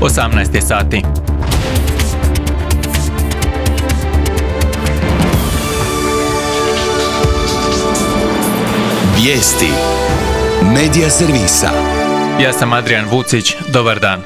18 sati. Vijesti Medija servisa. Ja sam Adrian Vucić, dobar dan.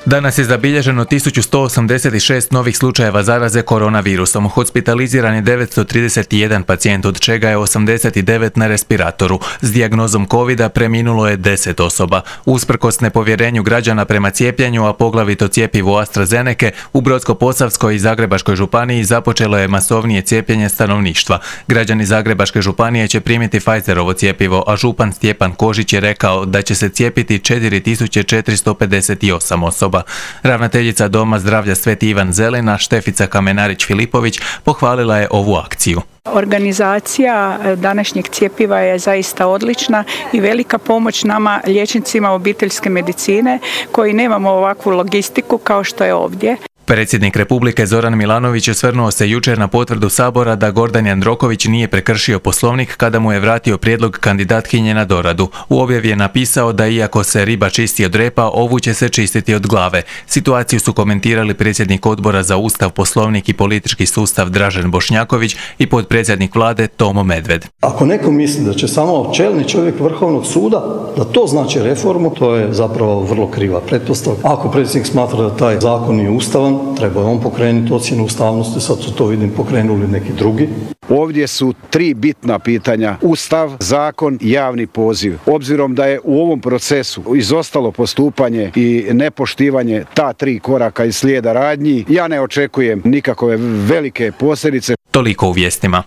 Danas je zabilježeno 1186 novih slučajeva zaraze koronavirusom. Hospitaliziran je 931 pacijent, od čega je 89 na respiratoru. S dijagnozom covida preminulo je 10 osoba. Usprkos nepovjerenju građana prema cijepljenju, a poglavito cjepivu AstraZenece, u Brodsko-posavskoj i Zagrebačkoj županiji započelo je masovnije cijepljenje stanovništva. Građani Zagrebačke županije će primiti Pfizerovo cjepivo, a župan Stjepan Kožić je rekao da će se cijepiti 4458 osoba. Ravnateljica Doma zdravlja Sveti Ivan Zelina, Štefica Kamenarić-Filipović, pohvalila je ovu akciju. Organizacija današnjeg cjepiva je zaista odlična i velika pomoć nama liječnicima obiteljske medicine koji nemamo ovakvu logistiku kao što je ovdje. Predsjednik Republike Zoran Milanović osvrnuo se jučer na potvrdu Sabora da Gordan Jandroković nije prekršio Poslovnik kada mu je vratio prijedlog kandidatkinje na doradu. U objavi je napisao da iako se riba čisti od repa, ovu će se čistiti od glave. Situaciju su komentirali predsjednik Odbora za Ustav, Poslovnik i politički sustav Dražen Bošnjaković i potpredsjednik Vlade Tomo Medved. Ako neko misli da će samo čelni čovjek Vrhovnog suda, da to znači reformu, to je zapravo vrlo kriva pretpostavka. Ako predsjednik smatra da taj zakon nije ustavan, treba je on pokrenuti ocjenu ustavnosti, sad su to vidim pokrenuli neki drugi. Ovdje su 3 bitna pitanja: Ustav, zakon, javni poziv. Obzirom da je u ovom procesu izostalo postupanje i nepoštivanje ta 3 koraka iz slijeda radnji, ja ne očekujem nikakve velike posljedice. Toliko u vijestima.